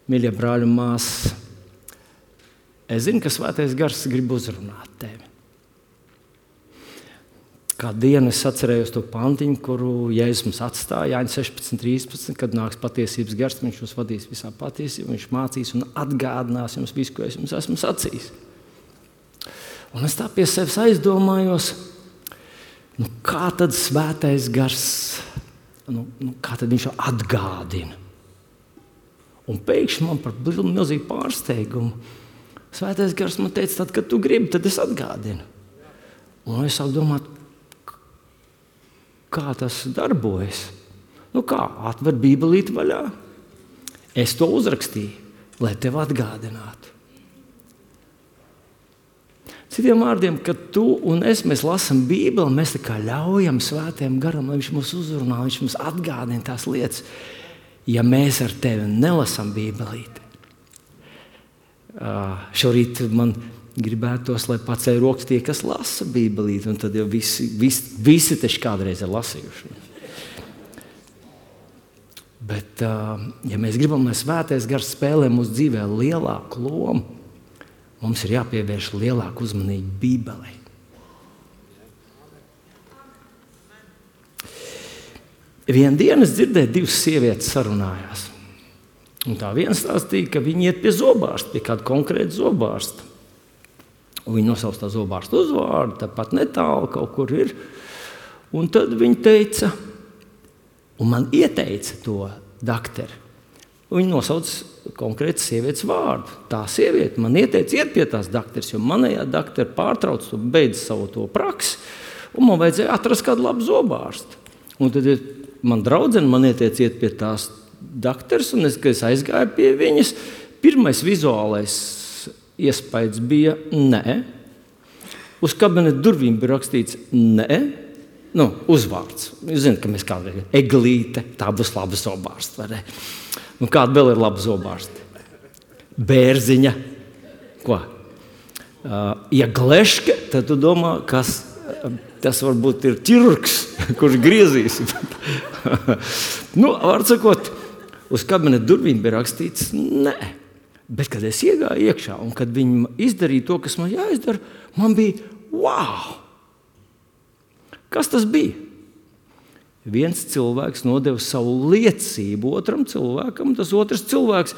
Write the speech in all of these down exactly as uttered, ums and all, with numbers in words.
Mīļie brāļi un māsas, es zinu, ka Svētais Gars grib uzrunāt tevi. Kādu dienu es atcerējos to pantiņu, kuru Jēzus mums atstāja, Jāņa sešpadsmit trīspadsmit, kad nāks patiesības gars, viņš jūs vadīs visā patiesībā, viņš mācīs un atgādinās jums visu, ko es jums esmu sacījis. Un es tā pie sevis aizdomājos, nu kā tad Svētais Gars, nu, nu kā tad viņš atgādina? Un pēkšņi man par milzīgu pārsteigumu Svētais Gars man teica, tad, kad tu gribi, tad es atgādinu. Un es sāku domāt, kā tas darbojas. Nu kā, atver Bībelīti vaļā. Es to uzrakstīju, lai tev atgādinātu. Citiem vārdiem, kad tu un es mēs lasām Bībeli, mēs tā kā ļaujam Svētajam Garam, lai viņš mūs uzrunā, viņš mums atgādina tās lietas. Ja mēs ar tevi nelasām Bībelīti, uh, šorīt man gribētos, lai paceļ rokas tie, kas lasa Bībelīti, un tad jau visi, visi, visi taču kādreiz ir lasījuši. Bet, uh, ja mēs gribam, lai Svētais Gars spēlē mūsu dzīvē lielāku lomu, mums ir jāpievērš lielāku uzmanību Bībelei. Vienu dienu es dzirdēju, divas sievietes sarunājās. Un tā viena stāstīja, ka viņi iet pie zobārsta, pie kāda konkrēta zobārsta. Un viņi nosauc tā zobārsta uzvārdu, tāpat netālu kaut kur ir. Un tad viņi teica, un man ieteica to dakteri. Un viņi nosauc konkrētas sievietes vārdu. Tā sieviete man ieteica iet pie tās dakteris, jo manējā dakteri pārtrauc to, beidz savu to praksi, un man vajadzēja atrast kādu labu zobārstu. Un tad man draudzene man ieteica iet pie tās dakteris, un es, kad es aizgāju pie viņas, pirmais vizuālais iespējas bija nē. Uz kabineta durvīm bija rakstīts nē, nu, uzvārds. Jūs zināt, ka mēs kādreiz eglīte, tā būs laba zobārsta, vai ne? Un kāda vēl ir laba zobārsta? Bērziņa. Ko? Uh, ja gleške, tad tu domā, kas tas varbūt ir ķirurgs, kurš griezīs. Nu, var sakot, uz kabineta durvīm bija rakstīts nē. Bet, kad es iegāju iekšā un kad viņi izdarīja to, kas man jāizdara, man bija wow! Kas tas bija? Viens cilvēks nodeva savu liecību otram cilvēkam, tas otrs cilvēks,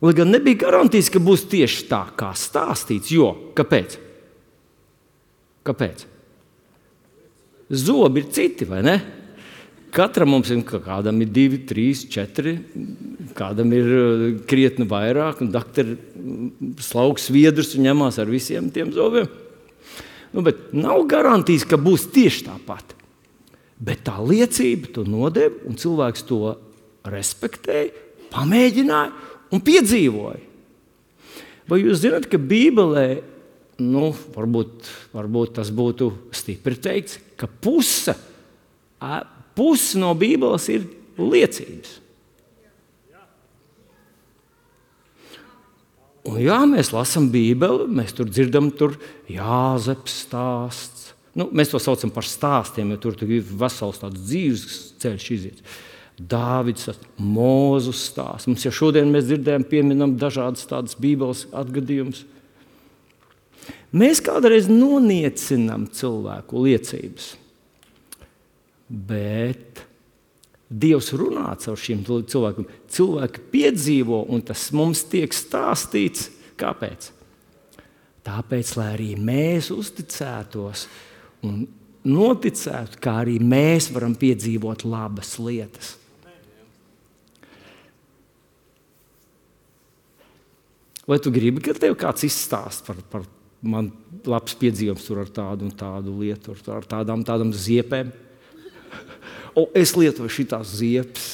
lai gan nebija garantijas, ka būs tieši tā, kā stāstīts, jo, kāpēc? Kāpēc? Zobi ir citi, vai ne? Katram mums ir, kādam ir divi, trīs, četri, kādam ir krietni vairāk, un dakteri slauks sviedrus un ņemās ar visiem tiem zobiem. Nu, bet nav garantijas, ka būs tieši tāpat. Bet tā liecība to nodev, un cilvēks to respektēja, pamēģināja un piedzīvoja. Vai jūs zināt, ka Bībelē, nu, varbūt, varbūt tas būtu stipri teikts, ka puse, puse no Bībeles ir liecības. Un jā, mēs lasām Bībeli, mēs tur dzirdam tur Jāzeps stāsts. Nu, mēs to saucam par stāstiem, jo tur ir vesels tāds dzīves ceļš iziet. Dāvids, Mūzus stāsts. Mums jau šodien mēs dzirdējam, pieminam dažādas tādas Bībeles atgadījumus. Mēs kādreiz noniecinām cilvēku liecības, bet Dievs runā caur šiem cilvēkiem. Cilvēki piedzīvo, un tas mums tiek stāstīts. Kāpēc? Tāpēc, lai arī mēs uzticētos un noticētu, kā arī mēs varam piedzīvot labas lietas. Vai tu gribi, ka tev kāds izstāst par, par man labs piedzīvums tur ar tādu un tādu lietu, ar tādām, tādām ziepēm? O, es lietoju šitās ziepes.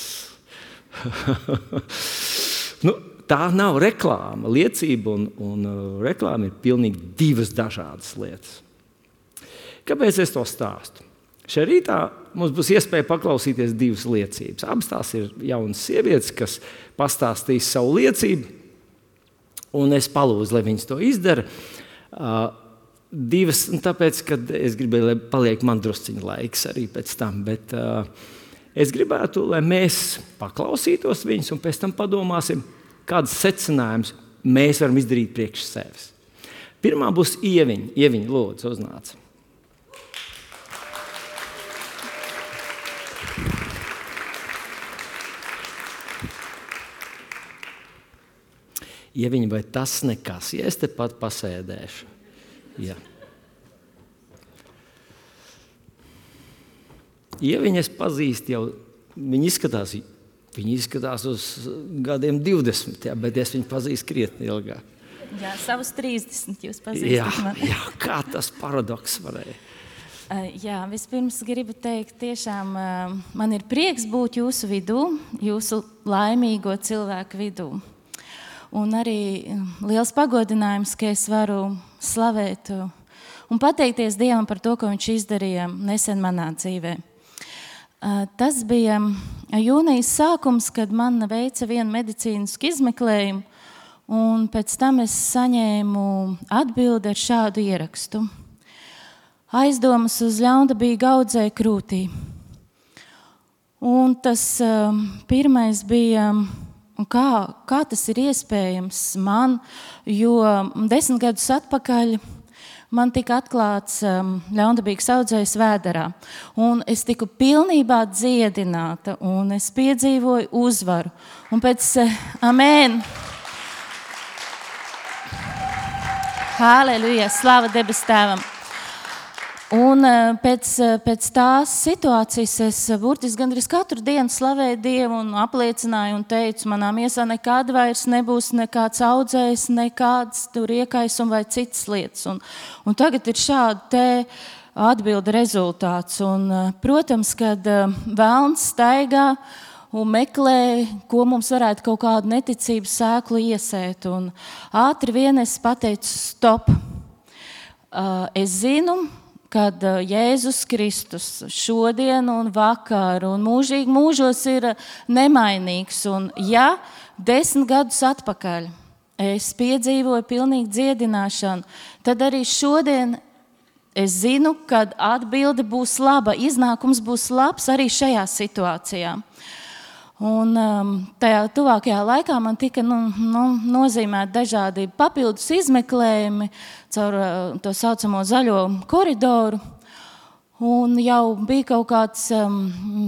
Nu, tā nav reklāma. Liecība un, un uh, reklāma ir pilnīgi divas dažādas lietas. Kāpēc es to stāstu? Šajā rītā mums būs iespēja paklausīties divas liecības. Abas tās ir jaunas sievietes, kas pastāstīs savu liecību, un es palūdzu, lai viņas to izdara. Uh, divas, tāpēc, kad es gribēju, lai paliek man drusciņa laiks arī pēc tam, bet uh, es gribētu, lai mēs paklausītos viņas un pēc tam padomāsim, kādas secinājumus mēs varam izdarīt priekš sevis. Pirmā būs Ieviņa. Ieviņa, lūdzu, uznāc. Ieviņa, vai tas nekas? Ja es te pat pasēdēšu. Jā. Ieviņa es pazīstu jau, viņa izskatās, viņa izskatās uz gadiem divdesmit, jā, bet es viņu pazīstu krietni ilgāk. Jā, savus trīsdesmit jūs pazīstat jā, mani. Jā, kā tas paradoks varēja. Uh, jā, vispirms gribu teikt, tiešām uh, man ir prieks būt jūsu vidū, jūsu laimīgo cilvēku vidū. Un arī liels pagodinājums, ka es varu slavēt un pateikties Dievam par to, ko viņš izdarīja nesen manā dzīvē. Uh, tas bija jūnijas sākums, kad man veica vienu medicīnisku izmeklējumu, un pēc tam es saņēmu atbildi ar šādu ierakstu. Aizdomas uz ļaundabīgu audzēju krūtī. Un tas uh, pirmais bija, kā, kā tas ir iespējams man, jo desmit gadus atpakaļ man tika atklāts um, ļaundabīgs audzējs Vēderā. Un es tiku pilnībā dziedināta, un es piedzīvoju uzvaru. Un pēc, uh, amēn, Halleluja, slava debes tēvam. Un pēc, pēc tās situācijas es burtiski gandrīz katru dienu slavēju Dievu un apliecināju un teicu, manā miesā nekad vairs nebūs nekāds audzējs, nekāds tur iekaisums vai citas lietas. Un, un tagad ir šāda te atbilde rezultāts. Un, protams, kad velns staigā un meklē, ko mums varētu kaut kādu neticības sēklu iesēt. Un ātri vien es pateicu stop. Es zinu, kad Jēzus Kristus šodien un vakar un mūžīgi mūžos ir nemainīgs. Un ja desmit gadus atpakaļ es piedzīvoju pilnīgu dziedināšanu, tad arī šodien es zinu, kad atbilde būs laba, iznākums būs labs arī šajā situācijā. Un um, tajā tuvākajā laikā man tika nu, nu, nozīmēti dažādi papildus izmeklējumi caur uh, to saucamo zaļo koridoru. Un jau bija kaut kāds um,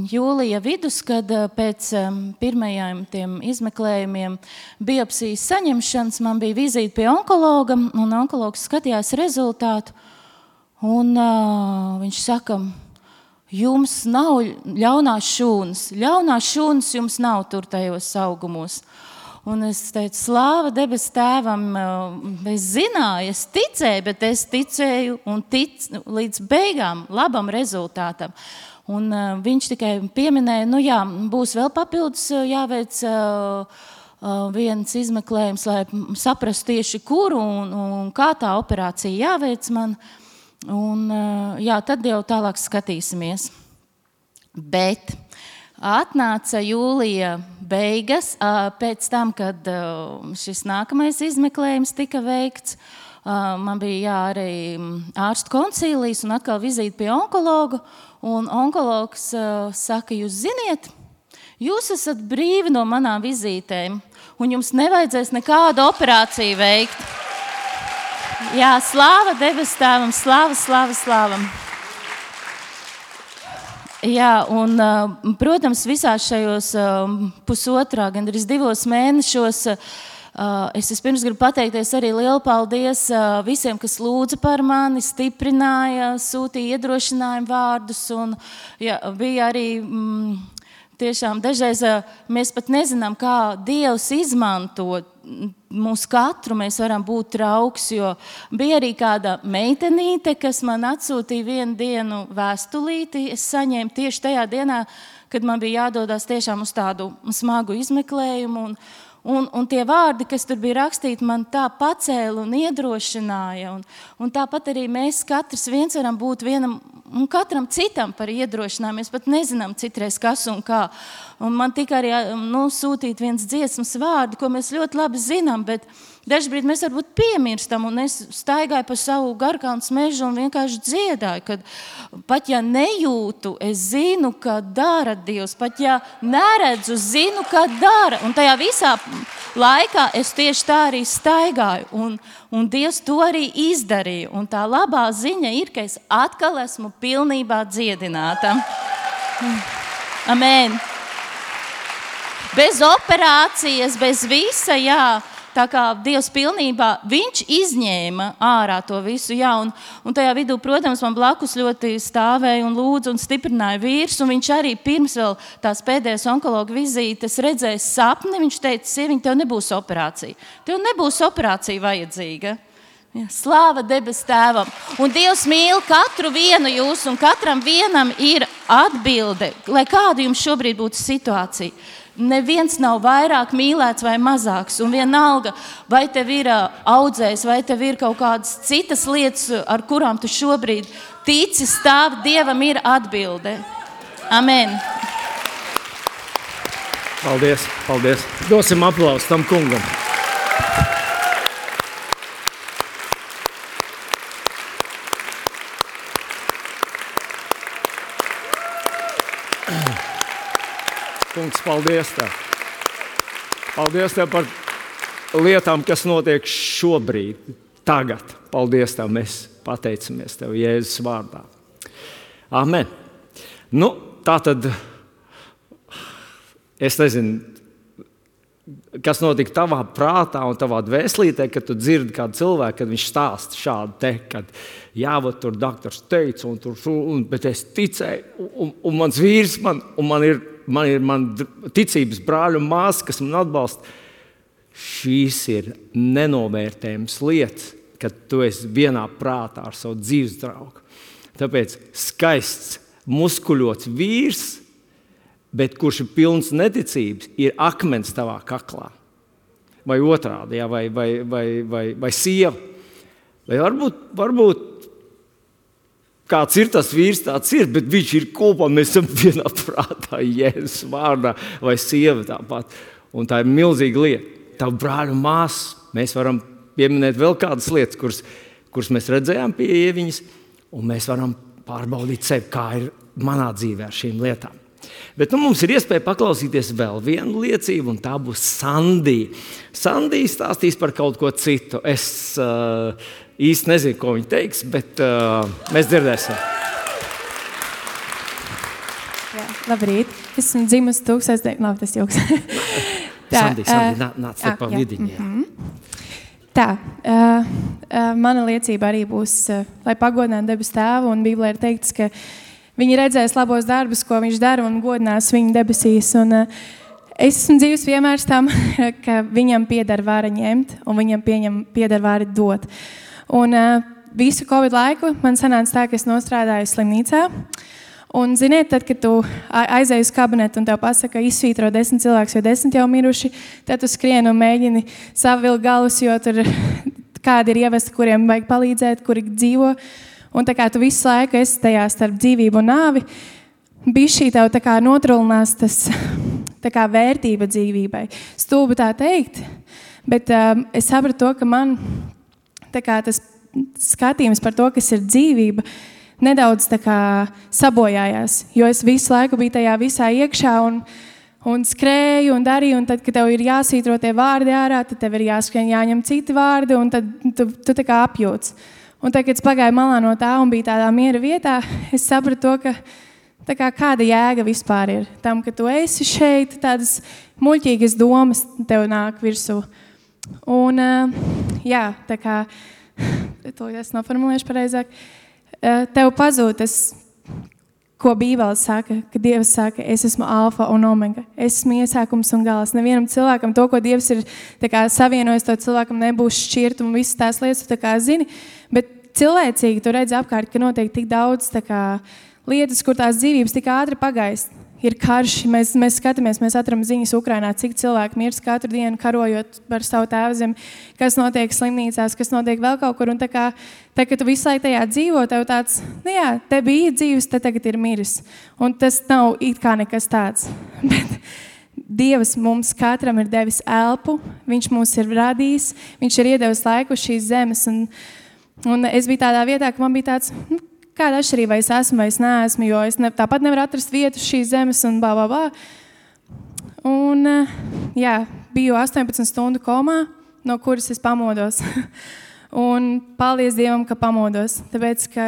jūlija vidus, kad uh, pēc um, pirmajiem tiem izmeklējumiem biopsijas saņemšanas man bija vizīte pie onkologa, un onkologs skatījās rezultātu. Un uh, viņš saka, jums nav ļaunās šūnas. Ļaunās šūnas jums nav tur tajos augumos. Un es teicu, slāva debes tēvam, es zināju, es ticēju, bet es ticēju un tic līdz beigām labam rezultātam. Un uh, viņš tikai pieminēja, nu jā, būs vēl papildus jāveic uh, uh, viens izmeklējums, lai saprastu tieši kuru un, un kā tā operācija jāveic man. Un, jā, tad jau tālāk skatīsimies. Bet atnāca jūlija beigas, pēc tam, kad šis nākamais izmeklējums tika veikts. Man bija jā, arī ārstu koncīlijas un atkal vizīte pie onkologa. Un onkologs saka, jūs ziniet, jūs esat brīvi no manām vizītēm, un jums nevajadzēs nekādu operāciju veikt. Jā, slāva debes tēvam, slāva, slāva, slāvam. Jā, un, protams, visās šajos pusotrā, gandrīz divos mēnešos, es vispirms gribu pateikties arī lielu paldies visiem, kas lūdza par mani, stiprināja, sūtīja iedrošinājumu vārdus, un jā, bija arī... Mm, Tiešām dažreiz mēs pat nezinām, kā Dievs izmanto mūs katru, mēs varam būt draugs, jo bija arī kāda meitenīte, kas man atsūtīja vienu dienu vēstulīti. Es saņēmu tieši tajā dienā, kad man bija jādodās tiešām uz tādu smagu izmeklējumu. Un, un, un tie vārdi, kas tur bija rakstīti, man tā pacēla un iedrošināja. Un, un tāpat arī mēs katrs viens varam būt vienam un katram citam par iedrošinājumu. Mēs pat nezinām citreiz kas un kā. Un man tika arī nu, sūtīt viens dziesmas vārdu, ko mēs ļoti labi zinām, bet Dažbrīd mēs varbūt piemirstam, un es staigāju pa savu Garkalnas mežu un vienkārši dziedāju, kad pat ja nejūtu, es zinu, ka dara Dievs, pat ja neredzu, zinu, ka dara. Un tajā visā laikā es tieši tā arī staigāju, un, un Dievs to arī izdarīja. Un tā labā ziņa ir, ka es atkal esmu pilnībā dziedināta. Amen. Bez operācijas, bez visa, jā. Tā kā Dievs pilnībā, viņš izņēma ārā to visu, jā, un, un tajā vidū, protams, man blakus ļoti stāvēja un lūdza un stiprināja vīrs, un viņš arī pirms vēl tās pēdējās onkologa vizītes redzēja sapni, viņš teica, sieviņ, tev nebūs operācija, tev nebūs operācija vajadzīga. Jā, slāva debes tēvam. Un Dievs mīl katru vienu jūs, un katram vienam ir atbilde, lai kāda jums šobrīd būtu situācija. Neviens nav vairāk mīlēts vai mazāks, un vienalga, vai tev ir audzējs, vai tev ir kaut kādas citas lietas, ar kurām tu šobrīd tici, stāv, Dievam ir atbilde. Amen. Paldies, paldies. Dosim aplausu tam kungam. Kungs, paldies Tev. Paldies Tev par lietām, kas notiek šobrīd, tagad. Paldies Tev, mēs pateicamies Tev Jēzus vārdā. Amen. Nu, tā tad, es nezinu, kas notika tavā prātā un tavā dvēselītē, kad tu dzirdi kādu cilvēku, kad viņš stāsta šādu te, kad jā, vat tur doktors teica, un tur, un, bet es ticēju, un, un mans vīrs, man, un man ir, man ir man ticības brāļu un māsa, kas man atbalsta. Šīs ir nenovērtējums lietas, kad tu esi vienā prātā ar savu dzīves draugu. Tāpēc skaists, muskuļots vīrs, bet kurš ir pilns neticības, ir akmens tavā kaklā. Vai otrādi, jā, vai, vai, vai, vai, vai sieva. Vai varbūt, varbūt kāds ir tas vīrs, tāds ir, bet viņš ir kopā, mēs esam vienā prātā, Jēzus vārdā, vai sieva tāpat. Un tā ir milzīga lieta. Tavu brāļu māsu, mēs varam pieminēt vēl kādas lietas, kuras, kuras mēs redzējām pie Ieviņas, un mēs varam pārbaudīt sevi, kā ir manā dzīvē ar šīm lietām. Bet nu, mums ir iespēja paklausīties vēl vienu liecību, un tā būs Sandija. Sandija stāstīs par kaut ko citu. Es uh, īsti nezinu, ko viņa teiks, bet uh, mēs dzirdēsim. Jā, labrīt. Esmu dzimusi tūkstoš... Labi, tas joks. Tā, Sandija, Sandija, nā, nāc te pa vidiņu. Mm-hmm. Tā, uh, uh, mana liecība arī būs, uh, lai pagodinātu debes tēvu, un Bībelē ir teikts, ka viņi redzēs labos darbus, ko viņš dara, un godinās viņu debesīs. Un, uh, es esmu dzīves piemērs tam, ka viņam pieder vara ņemt, un viņam pieņem, pieder vara dot. Un uh, visu Covid laiku man sanāca tā, ka es nostrādāju slimnīcā. Un, ziniet, tad, kad tu aizēji uz kabinetu un tev pasaka, izsvītro desmit cilvēks, jo desmit jau miruši, tad tu skrien un mēģini savilkt galus, jo tur kādi ir ievesti, kuriem vajag palīdzēt, kuri dzīvo. Un tā kā tu visu laiku esi tajā starp dzīvību un nāvi, bišķī tev tā kā notrulinās tas tā kā vērtība dzīvībai. Stulbi tā teikt, bet um, es sapratu to, ka man tā kā tas skatījums par to, kas ir dzīvība, nedaudz tā kā sabojājās, jo es visu laiku biju tajā visā iekšā un, un skrēju un darīju, un tad, kad tev ir jāsvītro tie vārdi ārā, tad tev ir jāskrien, jāņem citi vārdi, un tad tu, tu tā kā apjūts. Un tad, kad es pagāju malā no tā un biju tādā miera vietā, es sapratu to, ka tā kā kāda jēga vispār ir tam, ka tu esi šeit, tādas muļķīgas domas tev nāk virsū. Un, jā, tā kā, to es noformulēšu pareizāk, tev pazūd tas, ko Bībele saka, ka Dievs saka, es esmu alfa un omega, es esmu iesākums un gals. Nevienam cilvēkam to, ko Dievs ir tā kā savienojis, to cilvēkam nebūs šķirt un visas tās lietas, tu tā kā zini, bet cilvēcīgi tu redzi apkārt, ka notiek tik daudz tā kā lietas, kur tās dzīvības tik ātri pagaist. Ir karš, mēs, mēs skatāmies, mēs atram ziņas Ukrainā, cik cilvēki mirst katru dienu karojot par savu tēvzemi, kas notiek slimnīcās, kas notiek vēl kaut kur. Un tā kā, tā, ka tu visu laiku tajā dzīvo, tev tāds, nu jā, te bija dzīves, te tagad ir miris. Un tas nav it kā nekas tāds. Bet Dievs mums katram ir devis elpu, viņš mūs ir radījis, viņš ir iedevis laiku uz šīs zemes. Un, un es biju tādā vietā, ka man bija tāds, nu, kāda atšķirība, vai es esmu vai es neesmu, jo es ne, tāpat nevaru atrast vietu uz šīs zemes un bā, bā, bā. Un, jā, biju astoņpadsmit stundu komā, no kuras es pamodos. Un paldies Dievam, ka pamodos, tāpēc, ka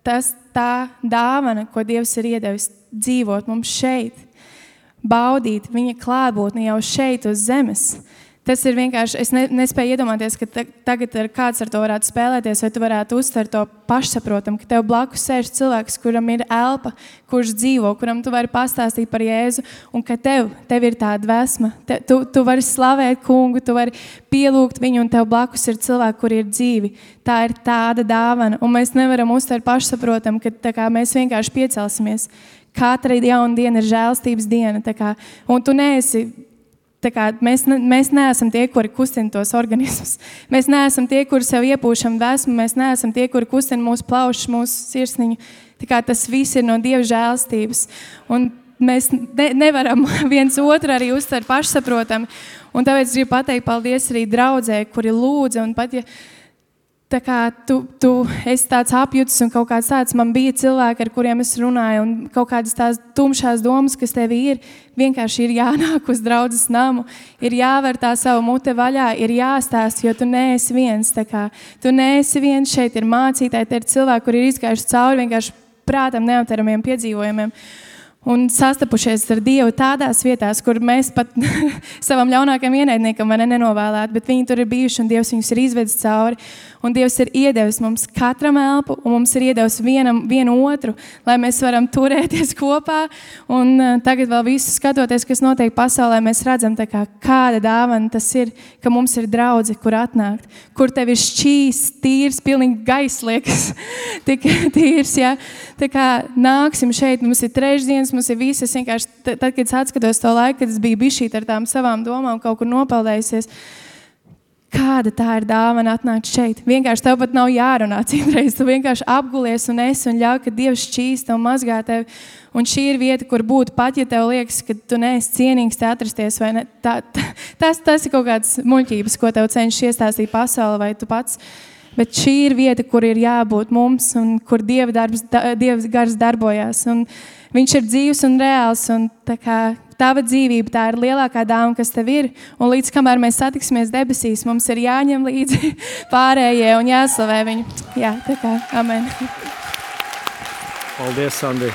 tas tā dāvana, ko Dievs ir iedevis dzīvot mums šeit, baudīt viņa klātbūtni jau šeit uz zemes. Tas ir vienkārši, es ne, nespēju iedomāties, ka te, tagad ar kāds ar to varētu spēlēties, vai tu varētu uztvert to pašsaprotam, ka tev blakus sēž cilvēks, kuram ir elpa, kurš dzīvo, kuram tu vari pastāstīt par Jēzu, un ka tev, tev ir tā dvēsma. Te, tu, tu vari slavēt kungu, tu vari pielūgt viņu, un tev blakus ir cilvēki, kuri ir dzīvi. Tā ir tāda dāvana, un mēs nevaram uztvert pašsaprotam, ka tā kā mēs vienkārši piecelsimies. Katra jauna diena ir žēlstības diena, tā kā, un tu neesi, tā kā, mēs, ne, mēs neesam tie, kuri kustina tos organismus. Mēs neesam tie, kuri sev iepūšam dvēsmu, mēs neesam tie, kuri kustina mūsu plaušas, mūsu sirsniņu. Tā kā tas viss ir no Dieva žēlstības. Un mēs ne, nevaram viens otru arī uztvert pašsaprotami. Un tāpēc gribu pateikt paldies arī draudzē, kuri lūdza, un pat ja tā kā tu, tu esi tāds apjutis un kaut kāds tāds, man bija cilvēki, ar kuriem es runāju, un kaut kādas tās tumšās domas, kas tev ir, vienkārši ir jānāk uz draudzes namu, ir jāver tā savu mute vaļā, ir jāstāst, jo tu neesi viens, tā kā tu neesi viens, šeit ir mācītāji, te ir cilvēki, kuri ir izgājuši cauri vienkārši prātam neaptveramiem piedzīvojumiem. Un sastapušies ar Dievu tādās vietās, kur mēs pat savam ļaunākajam ienaidniekam vai ne nenovēlētu, bet viņi tur ir bijuši un Dievs viņus ir izvedis cauri. Un Dievs ir iedevis mums katram elpu un mums ir iedevis vienam, vienu otru, lai mēs varam turēties kopā. Un uh, tagad vēl visu skatoties, kas notiek pasaulē, mēs redzam, tā kā, kāda dāvana tas ir, ka mums ir draudze, kur atnākt, kur tev ir šķīs, tīrs, pilnīgi gaiss liekas, tik tīrs, jā. Tā kā nāksim šeit, mums ir trešdienas, mums ir visas vienkārši, tad, kad es atskatos to laiku, kad es biju bišķīt ar tām savām domām, kaut kur nopeldējusies, kāda tā ir dāvana atnākt šeit. Vienkārši tev pat nav jārunā citreiz, tu vienkārši apgulies un esi un ļauj, ka Dievs šķīsta un mazgā tevi. Un šī ir vieta, kur būt pat, ja tev liekas, ka tu neesi cienīgs te atrasties, vai ne? Tā, tā, tas, tas ir kaut kāds muļķības, ko tev cenšas iestāstīt pasauli, vai tu pats. Bet šī ir vieta, kur ir jābūt mums un kur Dieva, darbs, Dieva gars darbojās. Un viņš ir dzīvs un reāls un tā kā tava dzīvība, tā ir lielākā dāvana, kas tev ir. Un līdz kamēr mēs satiksimies debesīs, mums ir jāņem līdzi pārējie un jāslavē viņu. Jā, tā kā, amen. Paldies, Sandri.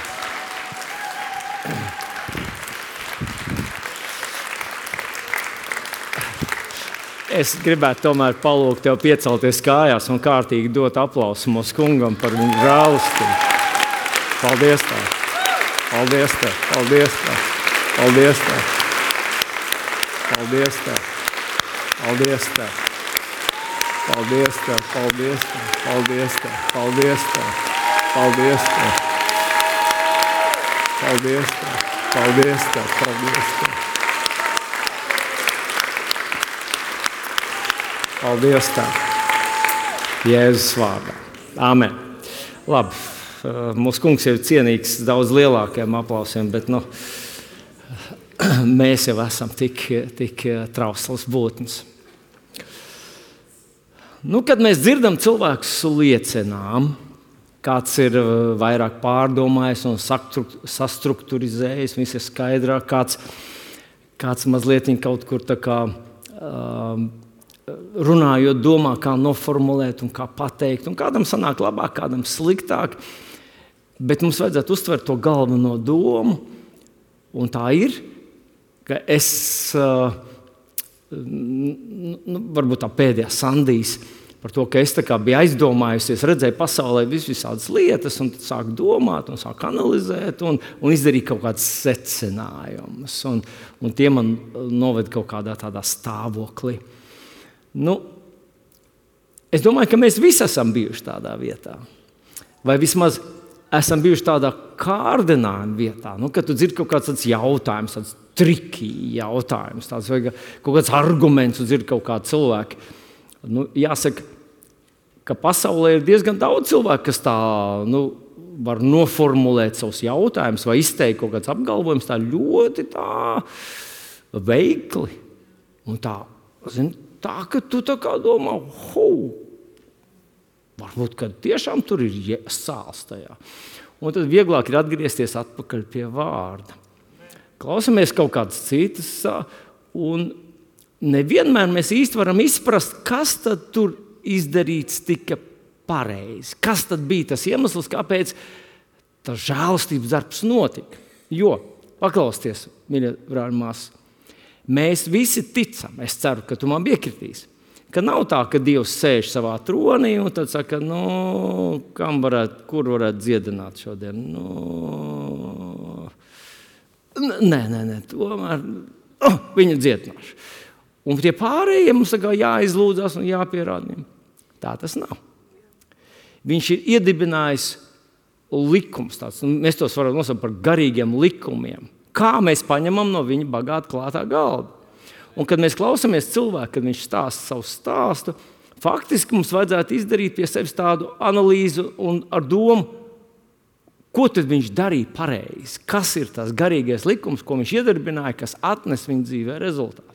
Es gribētu tomēr palūgt tev piecelties kājās un kārtīgi dot aplausu mūsu kungam par viņu žēlastību. Paldies tev. Paldies tev. Paldies tev. Paldies tev. Paldies tev. Paldies tev. Paldies tev. Paldies tev. Paldies tev. Paldies tev. Paldies tev. Paldies tev. Paldies tev. Paldies tev. Paldies tev. Jēzus vārdā. Amen. Labi, mūsu kungs ir cienīgs daudz lielākiem aplausiem, bet nu, mēs jau esam tik, tik trauslas būtnes. Nu, kad mēs dzirdam cilvēkus liecinām, kāds ir vairāk pārdomājis un sastrukturizējis, viss ir skaidrāk, kāds, kāds mazliet kaut kur tā kā um, runājot, domā, kā noformulēt un kā pateikt, un kādam sanāk labāk, kādam sliktāk, bet mums vajadzētu uztvert to galveno domu, un tā ir, ka es, uh, nu, varbūt tā pēdējā Sandijas, par to, ka es tā kā biju aizdomājusies, redzēju pasaulē vis visādas lietas, un tad sāku domāt, un sāku analizēt, un, un izdarīt kaut kādas secinājumus, un, un tie man noved kaut kādā tādā stāvoklī. Nu, es domāju, ka mēs visi esam bijuši tādā vietā. Vai vismaz esam bijuši tādā kārdinājuma vietā, nu, kad tu dzirdi kaut kāds tāds jautājums, tāds triki jautājums, tāds vai kaut kāds arguments, tu dzirdi kaut kādu cilvēku. Nu, jāsaka, ka pasaulē ir diezgan daudz cilvēku, kas tā, nu, var noformulēt savus jautājumus vai izteikt kaut kāds apgalvojums tā ļoti tā veikli. Un tā, zin, tā, ka tu tā kā domā, hou, varbūt, ka tiešām tur ir sāls tajā. Un tad vieglāk ir atgriezties atpakaļ pie vārda. Klausamies kaut kādas citas, un nevienmēr mēs īsti varam izprast, kas tad tur izdarīts tika pareizi. Kas tad bija tas iemesls, kāpēc tas žēlastības darbs notika? Jo, paklausties, mīļie brāļi māsas, mēs visi ticam, es ceru, ka tu man piekritīsi, ka nav tā, ka Dievs sēž savā tronī un tad saka, nu, kam varētu, kur varētu dziedināt šodien? Nu, nē, nē, nē, tomēr oh, viņu dziedināšu. Un tie pārējie mums saka, jāizlūdzās un jāpierāda. Tā tas nav. Viņš ir iedibinājis likums tāds. Mēs tos varam nosaukt par garīgiem likumiem. Kā mēs paņemam no viņa bagāta klātā galda. Un kad mēs klausamies cilvēku, kad viņš stāsta savu stāstu, faktiski mums vajadzētu izdarīt pie sevis tādu analīzi un ar domu, ko tad viņš darīja pareizi. Kas ir tas garīgais likums, ko viņš iedarbināja, kas atnes viņa dzīvē rezultātu.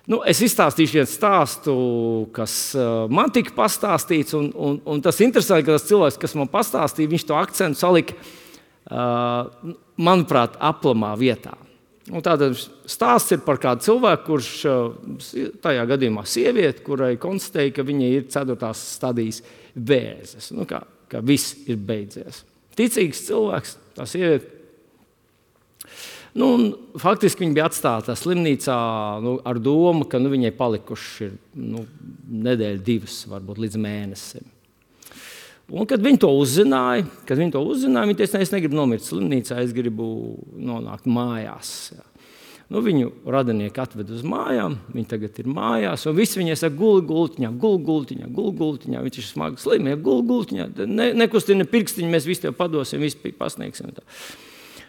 Nu, es izstāstīšu vienu stāstu, kas uh, man tika pastāstīts, un, un, un tas interesanti, ka tas cilvēks, kas man pastāstīja, viņš to akcentu salika, uh, manuprāt, aplamā vietā. Un tātad stāsts ir par kādu cilvēku, kurš uh, tajā gadījumā sievieti, kurai konstatēja, ka viņai ir ceturtās stadijas vēzes. Nu, kā, kā viss ir beidzies. Ticīgs cilvēks, tā sieviete. Nu, faktiski viņa bija atstāta slimnīcā nu, ar domu, ka nu, viņai palikuši ir nu, nedēļa, divas, varbūt līdz mēnesim. Un, kad viņi to uzzināja, kad viņi to uzzināja, viņi teica, ne, es negribu nomirt slimnīcā, es gribu nonākt mājās. Jā. Nu, viņu radinieki atved uz mājām, viņi tagad ir mājās, un visi viņai saka, guli gultiņā, guli gultiņā, guli gultiņā, viņš ir smagi slimie, guli gultiņā, ne, nekustina pirkstiņi, mēs visi tev padosim, visi pasniegsim. Tā.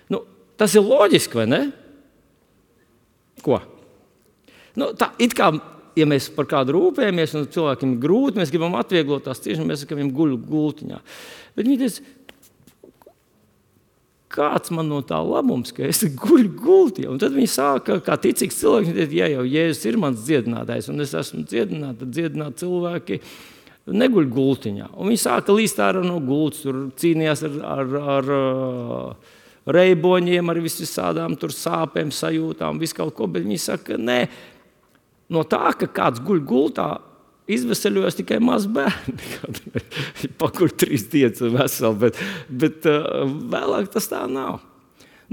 Nu, tas ir loģiski, vai ne? Ko? Nu, tā, it kā, ja mēs par kādu rūpējamies, un cilvēkiem ir grūti, mēs gribam atvieglot tās ciešanas, mēs sakam, viņam guļu gultiņā. Bet viņi teica, kāds man no tā labums, ka es guļu gultiņā? Un tad viņi sāka, kā ticīgs cilvēks, viņi teica, ja jau Jēzus ir mans dziedinātājs, un es esmu dziedināta, tad dziedināt cilvēki neguļ gultiņā. Un viņi sāka līst ārā no gultas, tur cīnījās ar... ar, ar reiboņiem, ar visādām tur sāpēm, sajūtām, visu kaut ko, bet viņi saka, nē, no tā, ka kāds guļ gultā, izveseļojas tikai maz bērni. Pakur trīs dienas un veseli, bet, bet uh, vēlāk tas tā nav.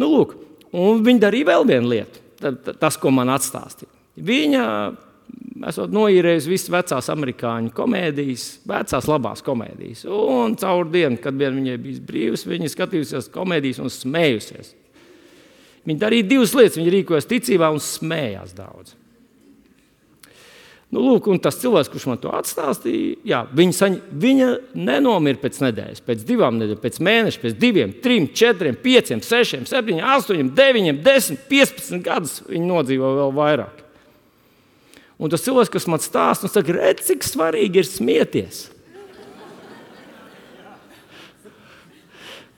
Nu, lūk, un viņi darīja vēl vienu lietu, tas, ko man atstāstīja. Viņa, esot noīrējusi visas vecās amerikāņu komēdijas, vecās labās komēdijas. Un caur dienu, kad vien viņai bija brīvs, viņa skatījusies komēdijas un smējusies. Viņa darīja divas lietas, viņa rīkojas ticībā un smējās daudz. Nu, lūk, un tas cilvēks, kurš man to atstāstīja, jā, viņa, saņ... viņa nenomira pēc nedēļas, pēc divām nedēļas, pēc mēneša, pēc diviem, trim, četriem, pieciem, sešiem, septiņiem, astoņiem, deviņiem, desmit, piecpadsmit gadus viņa nodzīvo vēl vairāk. Un tas cilvēks, kas man stāsta, un saka, redz, cik svarīgi ir smieties.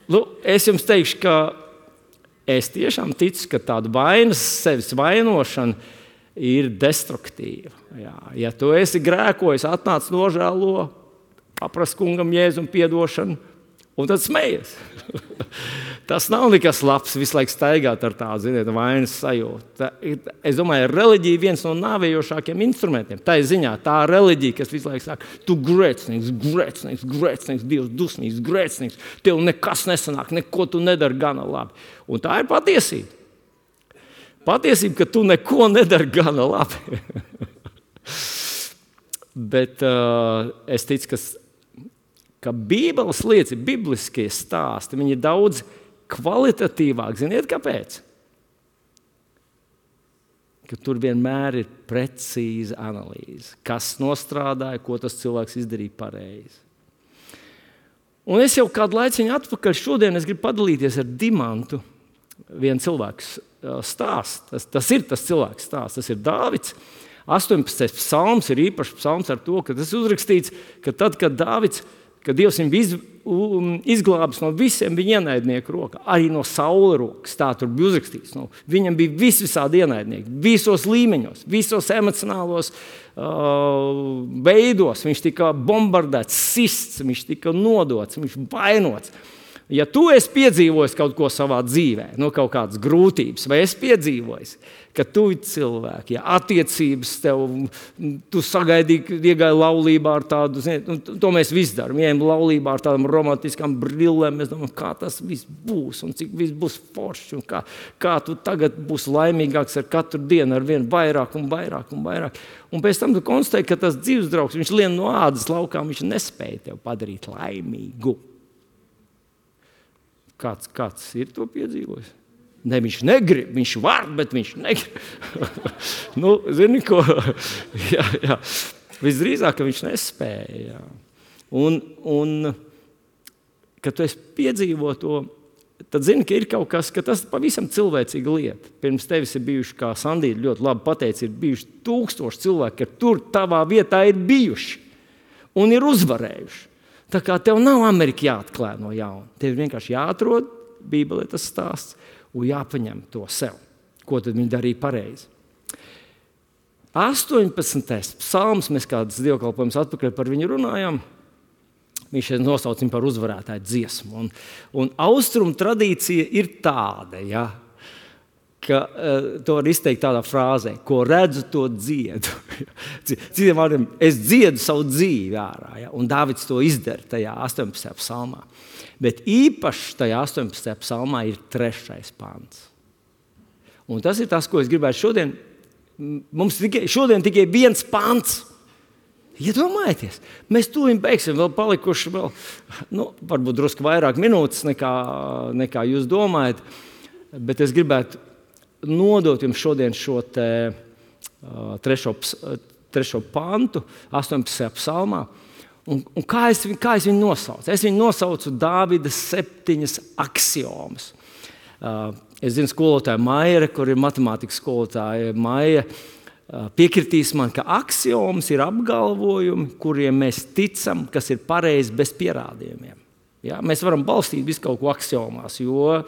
Nu, es jums teikšu, ka es tiešām ticu, ka tāda vainas, sevis vainošana ir destruktīva. Jā. Ja tu esi grēkojis, atnāc nožēlo, paprast kungam Jēzum piedošanu, un tad smejies. Tas nav nekas labs, visu laiku staigāt ar tādu, ziniet, vainas sajūtu. Es domāju, reliģija ir viens no nāvējošākiem instrumentiem. Tā ir ziņā, tā reliģija, kas visu laiku saka, tu grēcinieks, grēcinieks, grēcinieks, Dievs dusmīgs, grēcinieks, tev nekas nesanāk, neko tu nedari gana labi. Un tā ir patiesība. Patiesība, ka tu neko nedari gana labi. Bet uh, es ticu, ka ka Bībeles lietas, bibliskie stāsti, viņi ir daudz kvalitatīvāk. Ziniet, kāpēc? Ka tur vienmēr ir precīza analīze. Kas nostrādāja, ko tas cilvēks izdarīja pareizi. Un es jau kādu laiciņu atpakaļ šodien es gribu padalīties ar Dimantu. Vienu cilvēku stāsts. Tas, tas ir tas cilvēks stāsts. Tas ir Dāvids. astoņpadsmitais psalms ir īpašs psalms ar to, ka tas uzrakstīts, ka tad, kad Dāvids ka Dievs viņu iz, izglābis no visiem viņa ienaidnieku rokā, arī no Saula rokas. Tā tur bija uzrakstīts. No, viņam bija vis visādi ienaidnieki, visos līmeņos, visos emocionālos uh, veidos. Viņš tika bombardēts, sists, viņš tika nodots, viņš vainots. Ja tu esi piedzīvojis kaut ko savā dzīvē, no kaut kādas grūtības, vai esi piedzīvojis, ka tu ir cilvēki, ja attiecības tev, tu sagaidīji, ka iegāji laulībā ar tādu, ziniet, to mēs visi darām, ejam laulībā ar tādām romantiskām brillēm, mēs domājam, kā tas viss būs un cik viss būs foršs un kā, kā tu tagad būs laimīgāks ar katru dienu, ar vien vairāk un vairāk un vairāk. Un pēc tam tu konstatēji, ka tas dzīves draugs, viņš lien no ādas laukām, viņš nespēja tev padarīt laimīgu. Kāds, kāds ir to piedzīvojis? Ne, viņš negrib, viņš var, bet viņš negrib. nu, zini ko? jā, jā. Visdrīzāk, ka viņš nespēja. Jā. Un, un, kad tu esi piedzīvo to, tad zini, ka ir kaut kas, ka tas pavisam cilvēcīga lieta. Pirms tevis ir bijuši, kā Sandīta ļoti labi pateica, ir bijuši tūkstoši cilvēki, ka tur tavā vietā ir bijuši un ir uzvarējuši. Tā kā tev nav Amerika jāatklāj no jauna. Tev vienkārši jāatrod, Bībelē tas stāsts, un jāpaņem to sev. Ko tad viņi darīja pareizi? astoņpadsmitais psalms, mēs kādas dievkalpojumus atpakaļ par viņu runājām, viņš nosauc viņu par uzvarētāju dziesmu. Un, un austrumu tradīcija ir tāda, ja, ka uh, to var izteikt tādā frāzē, ko redzu, to dziedu. Citiem vārdiem, es dziedu savu dzīvi ārā, ja, un Dāvids to izdara tajā astoņpadsmitajā psalmā. Bet īpaši tajā astoņpadsmitajā psalmā ir trešais pants. Un tas ir tas, ko es gribētu šodien. Mums tikai, šodien tikai viens pants. Iedomājieties, mēs tūlīt beigsim, vēl palikuši vēl, nu, varbūt drusku vairāk minūtes nekā, nekā jūs domājat, bet es gribētu nodot jums šodien šo te, uh, trešo, trešo pantu astoņpadsmitajā psalmā. Un, un kā, es, kā es viņu nosaucu? Es viņu nosaucu Dāvida septiņas aksiomas. Uh, es zinu skolotāju Maija, kur ir matemātikas skolotāja Maija, uh, piekritīs man, ka aksiomas ir apgalvojumi, kuriem mēs ticam, kas ir pareizi bez pierādījumiem. Ja? Mēs varam balstīt visu kaut ko aksiomās, jo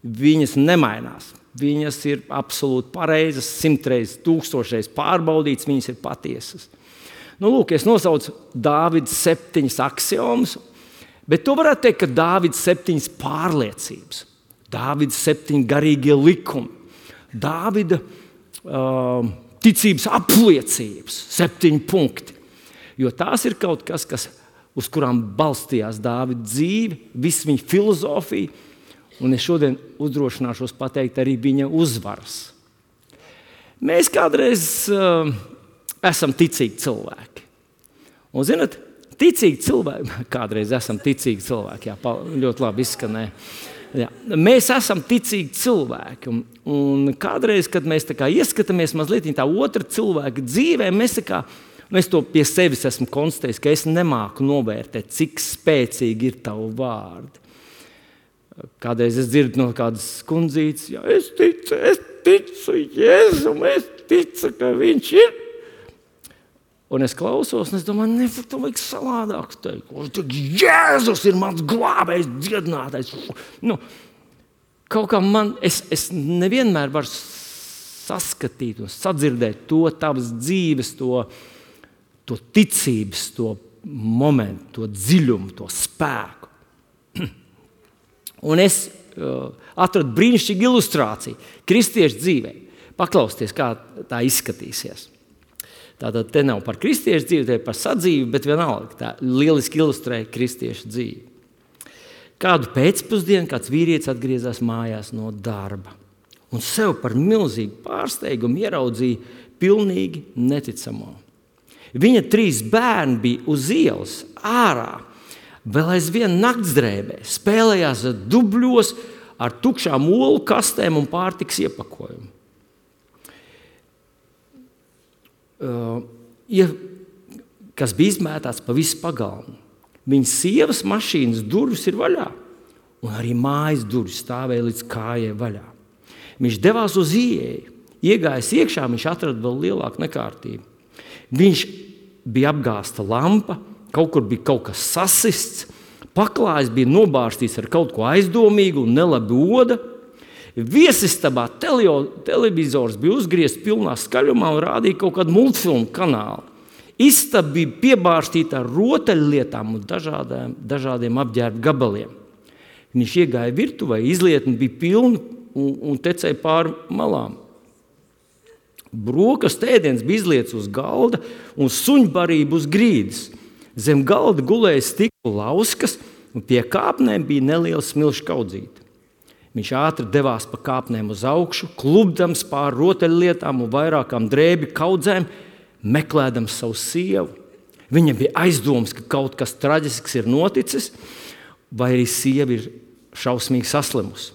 viņas nemainās. Viņas ir absolūti pareizas, simtreiz, tūkstošreiz pārbaudītas, viņas ir patiesas. Nu, lūk, es nosaucu Dāvida septiņas aksiomas, bet to varētu teikt, ka Dāvida septiņas pārliecības, Dāvida septiņi garīgie likumi, Dāvida uh, ticības apliecības, septiņi punkti. Jo tās ir kaut kas, kas uz kurām balstījās Dāvida dzīve, viss viņa filozofija, un es šodien uzdrošināšos pateikt arī viņa uzvaras. Mēs kādreiz uh, esam ticīgi cilvēki. Un, zināt, ticīgi cilvēki, kādreiz esam ticīgi cilvēki, jā, ļoti labi izskanē. Jā. Mēs esam ticīgi cilvēki, un, un kādreiz, kad mēs tā kā ieskatāmies mazliet tā otra cilvēka dzīvē, mēs tā kā, nu es to pie sevis esmu konstatējis, ka es nemāku novērtēt, cik spēcīgi ir tavu vārdi. Kādreiz es dzirdu no kādas kundzītes, ja es ticu, es ticu Jēzum, es ticu, ka viņš ir. Un es klausos, un es domāju, ne, to vajag savādāk teikt. Jēzus ir mans glābējs, dziedinātājs. Nu, kaut kā man, es, es nevienmēr varu saskatīt un sadzirdēt to tavas dzīves, to, to ticības, to momentu, to dziļumu, to spēku. Un es uh, atradu brīnišķīgu ilustrāciju kristiešu dzīvē. Paklausieties, kā tā izskatīsies. Tātad te nav par kristiešu dzīvi, te ir par sadzīvi, bet vienalga tā lieliski ilustrē kristiešu dzīvi. Kādu pēcpusdienu kāds vīrietis atgriezās mājās no darba un sev par milzīgu pārsteigumu ieraudzīja pilnīgi neticamo. Viņa trīs bērni bija uz ielas ārā, vēl aizvien naktsdrēbē, spēlējās dubļos ar tukšām olu kastēm un pārtikas iepakojumu. Uh, ja, kas bija izmētāts pa visu pagalmu. Viņas sievas mašīnas durvis ir vaļā, un arī mājas durvis stāvēja līdz kājai vaļā. Viņš devās uz ieeju, iegājis iekšā, viņš atrada vēl lielāku nekārtību. Viņš bija apgāsta lampa, kaut kur bija kaut kas sasists, paklājs bija nobārstīts ar kaut ko aizdomīgu un nelabi oda. Viesistabā teleo, televizors bija uzgriezts pilnā skaļumā un rādīja kaut kādu multfilmu kanālu. Istaba bija piebārstīta ar rotaļlietām un dažādiem, dažādiem apģērba gabaliem. Viņš iegāja virtuvē, izlietne bija pilna un, un tecēja pāri malām. Brokastu ēdiens bija izliets uz galda un suņbarība uz grīdas. Zem galda gulēja stikla lauskas un pie kāpnēm bija neliela smilšu kaudzīte. Viņš ātri devās pa kāpnēm uz augšu, klubdams pāri rotaļlietām un vairākām drēbi kaudzēm, meklēdams savu sievu. Viņam bija aizdomas, ka kaut kas traģisks ir noticis, vai arī sieva ir šausmīgi saslimusi.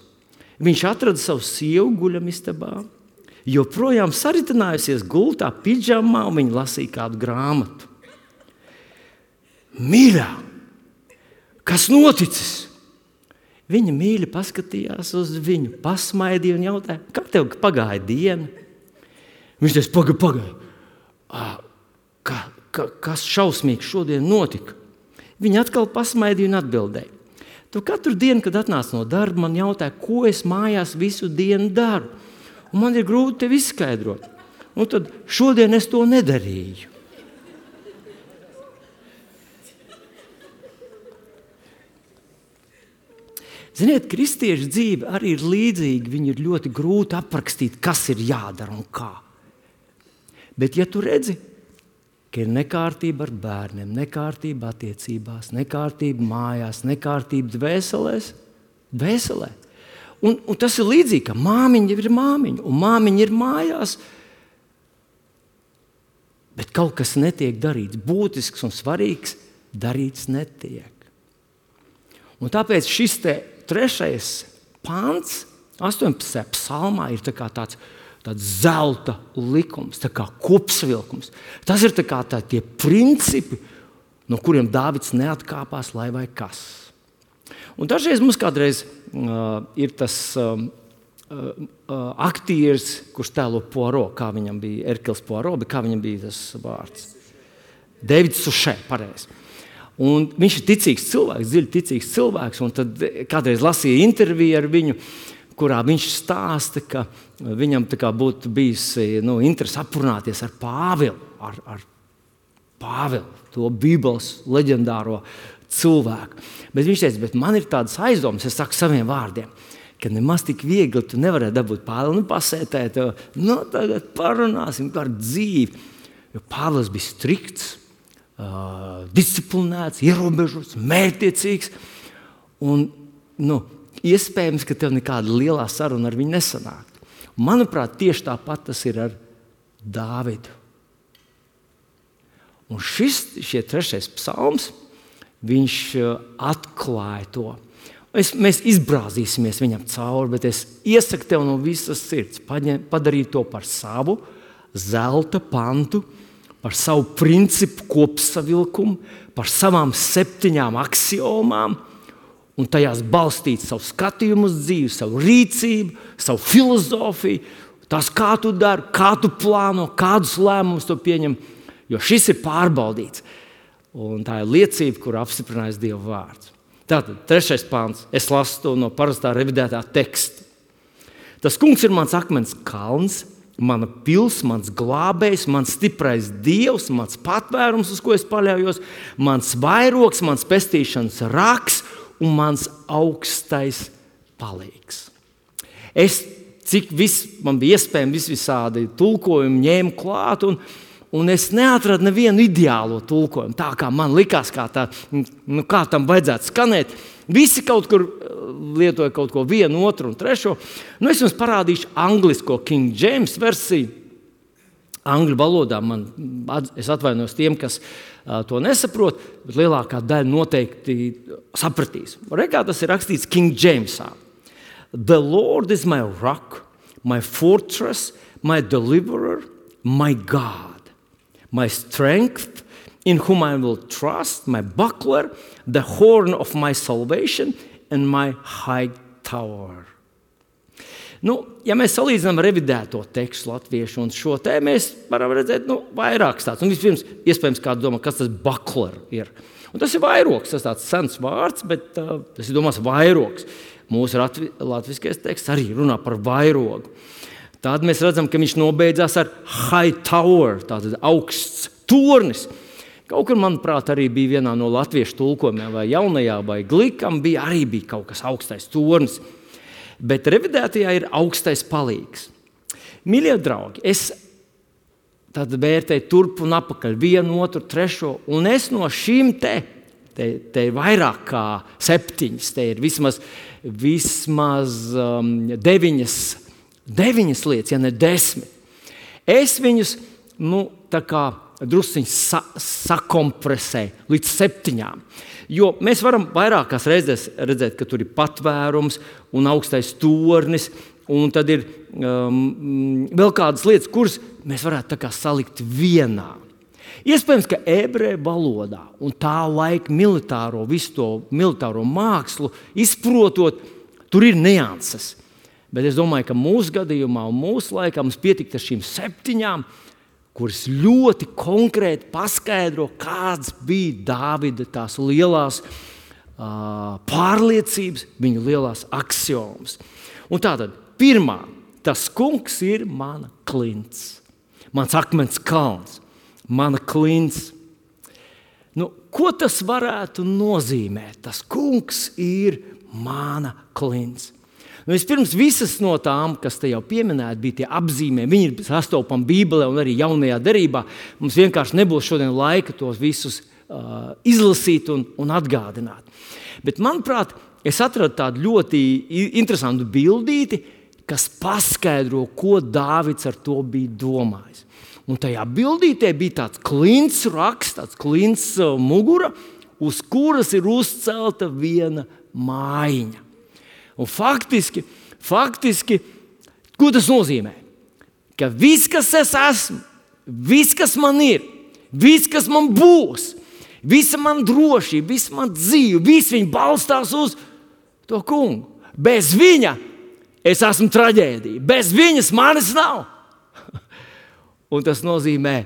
Viņš atrada savu sievu guļamistabā, joprojām saritinājusies gultā pidžamā, un viņa lasīja kādu grāmatu. Mīļā, kas noticis? Viņa mīļi paskatījās uz viņu, pasmaidīja un jautāja, kā tev pagāja diena? Viņš teica, pagaid, pagaid. Ka, ka, kas šausmīgs šodien notika? Viņa atkal pasmaidīja un atbildēja. Tu katru dienu, kad atnāc no darba, man jautāja, ko es mājās visu dienu daru. Un man ir grūti tev izskaidrot. Un tad šodien es to nedarīju. Ziniet, kristiešu dzīve arī ir līdzīga. Viņi ir ļoti grūti aprakstīt, kas ir jādara un kā. Bet ja tu redzi, ka ir nekārtība ar bērniem, nekārtība attiecībās, nekārtība mājās, nekārtība dvēselēs, dvēselē. Un, un tas ir līdzīgi, ka māmiņa ir māmiņa, un māmiņa ir mājās, bet kaut kas netiek darīts, būtisks un svarīgs, darīts netiek. Un tāpēc šis te trešais pants, astoņpadsmitajā psalmā, ir tā kā tāds tāds zelta likums, tā kā kopsavilkums. Tas ir tā kā tā tie principi, no kuriem Dāvids neatkāpās, lai vai kas. Un dažreiz mums kādreiz uh, ir tas uh, uh, aktieris, kurš tēlo Poirot, kā viņam bija Erkils Poirot, bet kā viņam bija tas vārds? Davids Sušē, pareizi. Un viņš ir ticīgs cilvēks, dziļi ticīgs cilvēks, un tad kādreiz lasīja interviju ar viņu, kurā viņš stāsta, ka viņam tā kā būtu bijis nu, interesi aprunāties ar Pāvilu, ar, ar Pāvilu, to Bībeles leģendāro cilvēku. Bet viņš teica, bet man ir tādas aizdomas, es saku saviem vārdiem, ka nemaz tik viegli tu nevarētu dabūt Pāvilu, nu pasētēt, nu tagad parunāsim par dzīvi. Jo Pāvils bija strikts, uh, disciplinēts, ierobežots, mērķtiecīgs un, nu, iespējams, ka tev nekāda lielā saruna ar viņu nesanāktu. Manuprāt, tieši tāpat tas ir ar Dāvidu. Un šis, šie trešais psalms, viņš atklāja to. Es, mēs izbrāzīsimies viņam cauri, bet es iesaku tev no visas sirds paņem, padarīt to par savu zelta pantu, par savu principu kopsavilkumu, par savām septiņām aksiomām, un tajās balstīt savu skatījumu uz dzīvi, savu rīcību, savu filozofiju, tās kā tu dari, kā tu plāno, kādus lēmumus tu pieņem, jo šis ir pārbaudīts. Un tā ir liecība, kur apstiprinājis Dieva vārds. Tātad, trešais pāns, es lasu to no parastā revidētā teksta. Tas kungs ir mans akmens kalns, mana pils, mans glābējs, mans stiprais Dievs, mans patvērums, uz ko es paļaujos, mans vairogs, mans pestīšanas raks, un mans augstais palīgs. Es, cik viss, man bija iespējami vis visādi tulkojumi, ņēmu klāt, un, un es neatradu nevienu ideālo tulkojumu, tā kā man likās, kā, tā, nu, kā tam vajadzētu skanēt. Visi kaut kur lietoja kaut ko vienu, otru un trešo. Nu, es jums parādīšu anglisko King James versiju. Angļu valodā man, es atvainojos tiem, kas uh, to nesaprot, bet lielākā daļa noteikti sapratīs. Rekā tas ir rakstīts King Jamesā. The Lord is my rock, my fortress, my deliverer, my God, my strength, in whom I will trust, my buckler, the horn of my salvation, and my high tower. Nu, ja mēs salīdzinām revidēto tekstu latviešu un šo te, mēs varam redzēt nu, vairākas tādas. Un vispirms, iespējams, kāds domā, kas tas buckler ir. Un tas ir vairogs, tas tāds sens vārds, bet uh, tas ir domās vairogs. Mūsu latviskais teksts arī runā par vairogu. Tad mēs redzam, ka viņš nobeidzās ar high tower, tātad augsts tornis. Kaut kur, manuprāt, arī bija vienā no latviešu tulkojumiem, vai jaunajā, vai glikam, bija arī bija kaut kas augstais tornis. Bet revidētajā ir augstais palīgs. Mīļie draugi, es tad vērtēju turp un apakaļ vienu, otru, trešo, un es no šīm te, te, te ir vairāk kā septiņas, te ir vismaz, vismaz um, deviņas, deviņas lietas, ja ne desmit. Es viņus, nu, tā kā drusciņi sa, sakompresēju līdz septiņām. Jo mēs varam vairākās reizēs redzēt, ka tur ir patvērums un augstais tornis, un tad ir um, vēl kādas lietas, kuras mēs varētu tā kā salikt vienā. Iespējams, ka ebreju valodā un tā laika militāro, visu to militāro mākslu izprotot, tur ir nianses. Bet es domāju, ka mūsu gadījumā un mūsu laikā mums pietikt ar šīm septiņām, kuras ļoti konkrēti paskaidro, kāds bija Dāvida tās lielās uh, pārliecības, viņa lielās aksiomas. Un tātad, pirmā, tas kungs ir mana klints, mans akmens kalns, mana klints. Nu, ko tas varētu nozīmēt? Tas kungs ir mana klints. Nu, vispirms visas no tām, kas te jau pieminēti, bija tie apzīmē. Viņi ir sastopami Bībelē un arī jaunajā derībā. Mums vienkārši nebūs šodien laika tos visus uh, izlasīt un, un atgādināt. Bet, manuprāt, es atradu tādu ļoti interesantu bildīti, kas paskaidro, ko Dāvids ar to bija domājis. Un tajā bildītē bija tāds klints raksts, tāds klints uh, mugura, uz kuras ir uzcelta viena mājiņa. Un faktiski, faktiski, ko tas nozīmē? Ka viss, kas es esmu, viss, kas man ir, viss, kas man būs, visa man drošība, visa man dzīve, viss viņa balstās uz to kungu. Bez viņa es esmu traģēdija, bez viņas manis nav. Un tas nozīmē,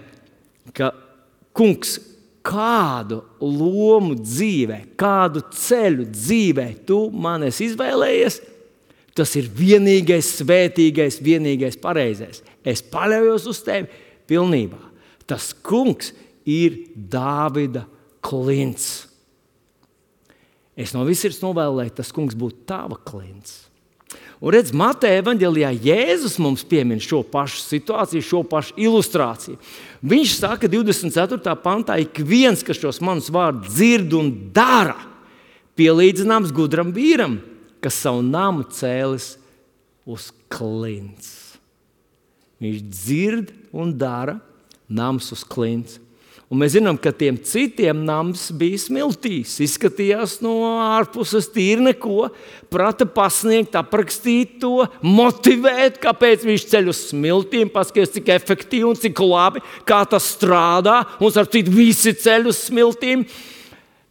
ka kungs kādu lomu dzīvē, kādu ceļu dzīvē tu man esi izvēlējies, tas ir vienīgais, svētīgais, vienīgais pareizais. Es paļaujos uz tevi pilnībā. Tas kungs ir Dāvida klints. Es no visirds novēlu, lai tas kungs būtu tava klints. Un redz, Mateja evaņģelijā Jēzus mums piemin šo pašu situāciju, šo pašu ilustrāciju. Viņš saka divdesmit ceturtajā pantā, ik viens, kas šos manus vārdus dzird un dara, pielīdzināms gudram vīram, kas savu namu cēlis uz klints. Viņš dzird un dara, nams uz klints. Un mēs zinām, ka tiem citiem nams bija smiltīs. Izskatījās no ārpuses tīri neko, prata pasniegt, aprakstīt to, motivēt, kāpēc viņš ceļ uz smiltīm, paskaties, cik efektīvi un cik labi, kā tas strādā, un starp citu visi ceļ uz smiltīm.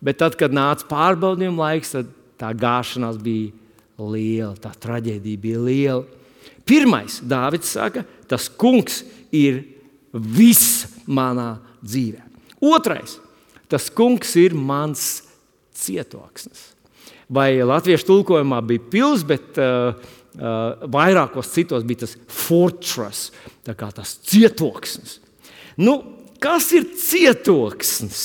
Bet tad, kad nāca pārbaudījuma laiks, tad tā gāšanās bija liela, tā traģēdija bija liela. Pirmais, Dāvids saka, tas kungs ir viss manā dzīvē. Otrais, tas kungs ir mans cietoksnis. Vai latviešu tulkojumā bija pils, bet uh, uh, vairākos citos bija tas fortress, tā kā tas cietoksnis. Nu, kas ir cietoksnis?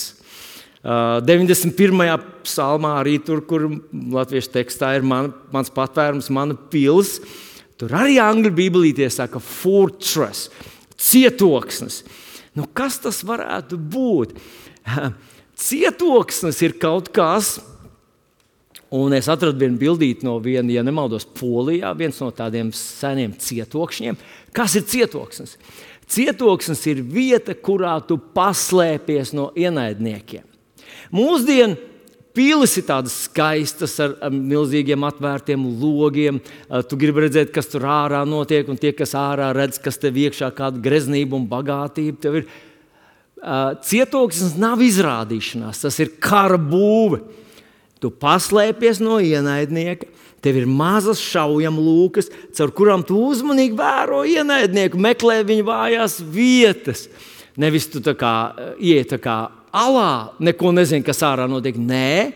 Uh, deviņdesmit pirmajā psalmā arī tur, kur latviešu tekstā ir man, mans patvērums, mana pils, tur arī angļu bībelītē saka fortress, cietoksnis. Nu, kas tas varētu būt? Cietoksnis ir kaut kas, un es atradu vienu bildīti no viena, ja nemaldos, Polijā, viens no tādiem seniem cietokšņiem. Kas ir cietoksnis? Cietoksnis ir vieta, kurā tu paslēpies no ienaidniekiem. Mūsdien pilis ir tādas skaistas ar, ar milzīgiem atvērtiem logiem. Tu gribi redzēt, kas tur ārā notiek, un tie, kas ārā redz, kas tev iekšā kāda greznība un bagātība. Tev ir, uh, cietoksnis nav izrādīšanās, tas ir kara būve. Tu paslēpies no ienaidnieka, tev ir mazas šaujamlūkas, caur kurām tu uzmanīgi vēro ienaidnieku, meklē viņa vājās vietas. Nevis tu tā kā iet tā kā alā, neko nezini, kas ārā notiek. Nē,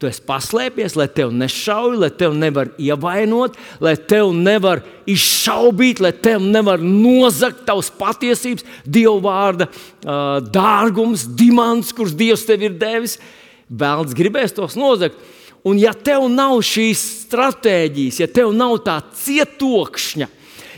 tu esi paslēpies, lai tev nešauj, lai tev nevar ievainot, lai tev nevar izšaubīt, lai tev nevar nozagt tavas patiesības, Dieva vārda uh, dārgums, dimants, kurš Dievs tev ir devis. Velns gribēs tos nozagt. Un ja tev nav šīs stratēģijas, ja tev nav tā cietokšņa,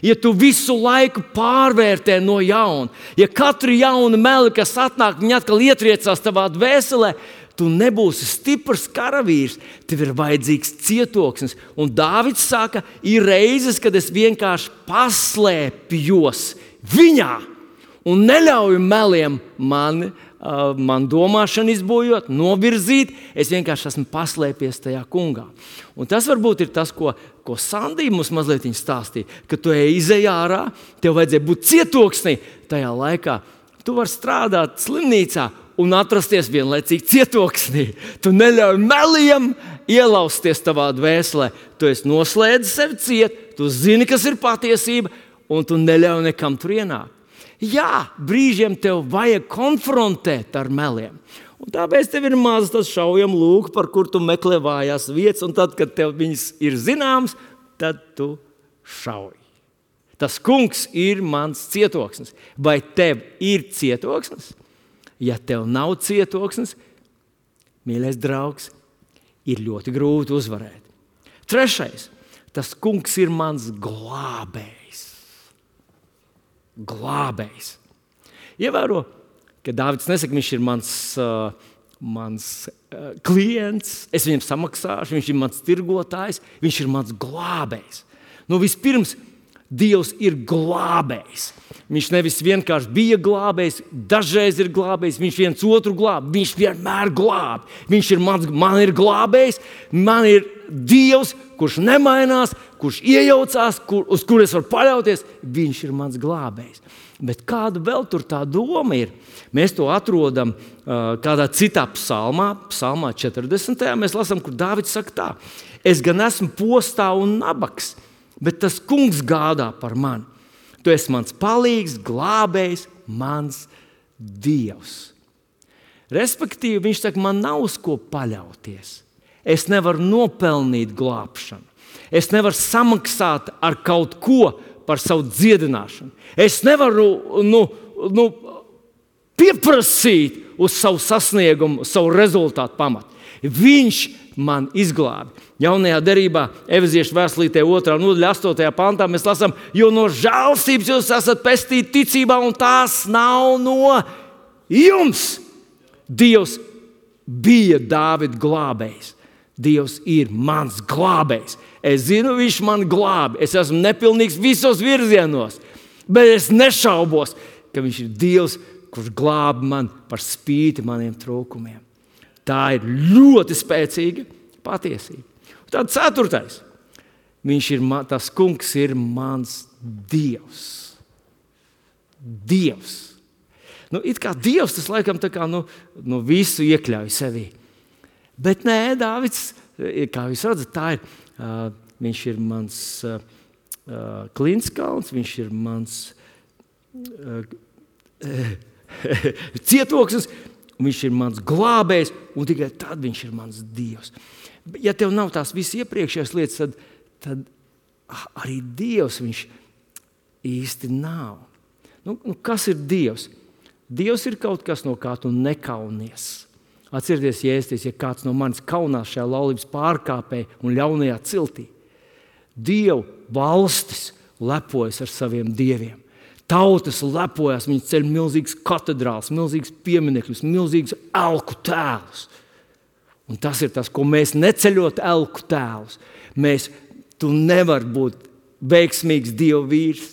ja tu visu laiku pārvērtē no jauna, ja katru jaunu meli, kas atnāk, viņi atkal ietriecās tavā dvēselē, tu nebūsi stiprs karavīrs, tev ir vajadzīgs cietoksnis. Un Dāvids saka, ir reizes, kad es vienkārši paslēpjos viņā un neļauju meliem mani, uh, man domāšanu izbojot, novirzīt. Es vienkārši esmu paslēpies tajā kungā. Un tas varbūt ir tas, ko, ko Sandija mums mazliet stāstīja, ka tu ej izej ārā, tev vajadzēja būt cietoksnī. Tajā laikā tu vari strādāt slimnīcā un atrasties vienlaicīgi cietoksnī. Tu neļauj meliem ielausties tavā dvēselē. Tu esi noslēdzis sevi ciet, tu zini, kas ir patiesība, un tu neļauj nekam tur ienākt. Jā, brīžiem tev vajag konfrontēt ar meliem. Un tāpēc tev ir maz tas šaujam lūk, par kur tu meklē vājās vietas, un tad, kad tev viņas ir zināms, tad tu šauj. Tas kungs ir mans cietoksnis. Vai tev ir cietoksnis? Ja tev nav cietoksnis, mīļais draugs, ir ļoti grūti uzvarēt. Trešais, tas kungs ir mans glābējs. Glābējs. Ievēro, ka Dāvids nesaka, viņš ir mans, uh, mans uh, klients, es viņam samaksāšu, viņš ir mans tirgotājs, viņš ir mans glābējs. Nu, vispirms, Dievs ir glābējs. Viņš nevis vienkārši bija glābējs, dažreiz ir glābējs, viņš viens otru glāb, viņš vienmēr glāb. Viņš ir mans, man ir glābējs, man ir Dievs, kurš nemainās, kurš iejaucās, kur, uz kur es varu paļauties, viņš ir mans glābējs. Bet kāda vēl tur tā doma ir? Mēs to atrodam uh, kādā citā psalmā, psalmā četrdesmitajā Mēs lasām, kur Dāvids saka tā: es gan esmu postā un nabaks, bet tas kungs gādā par mani. Tu esi mans palīgs, glābējs, mans Dievs. Respektīvi, viņš saka, man nav uz ko paļauties. Es nevaru nopelnīt glābšanu. Es nevaru samaksāt ar kaut ko par savu dziedināšanu. Es nevaru nu, nu, pieprasīt uz savu sasniegumu, savu rezultātu pamatu. Viņš man izglābi. Jaunajā derībā, Efeziešu vēstulītē otrā nodaļa astotajā pantā mēs lasām, jo no žēlstības jūs esat pestīti ticībā, un tās nav no jums. Dievs bija Dāvida glābējs. Dievs ir mans glābējs. Es zinu, viņš man glābi. Es esmu nepilnīgs visos virzienos, bet es nešaubos, ka viņš ir Dievs, kurš glābi man par spīti maniem trūkumiem. Tā ir ļoti spēcīga patiesība. Tad ceturtais. Viņš ir, tas kungs ir mans Dievs. Dievs. Nu, it kā Dievs tas laikam tā kā nu, nu visu iekļauj sevī. Bet nē, Dāvids, kā jūs redzat, tā ir, uh, viņš ir mans uh, uh, klinskalns, viņš ir mans uh, cietoksnis, un viņš ir mans glābējs, un tikai tad viņš ir mans Dievs. Ja tev nav tās visas iepriekšējās lietas, tad, tad arī Dievs viņš īsti nav. Nu, nu, kas ir Dievs? Dievs ir kaut kas, no kā tu nekaunies. Atcerieties, Jēzus, ja kāds no manis kaunās šajā laulības pārkāpē un ļaunajā ciltī. Dievu valstis lepojas ar saviem dieviem. Tautas lepojas, viņi ceļ milzīgas katedrāls, milzīgas pieminekļus, milzīgas elku tēlus. Un tas ir tas, ko mēs neceļot elku tēlus. Mēs, tu nevar būt veiksmīgs Dieva vīrs.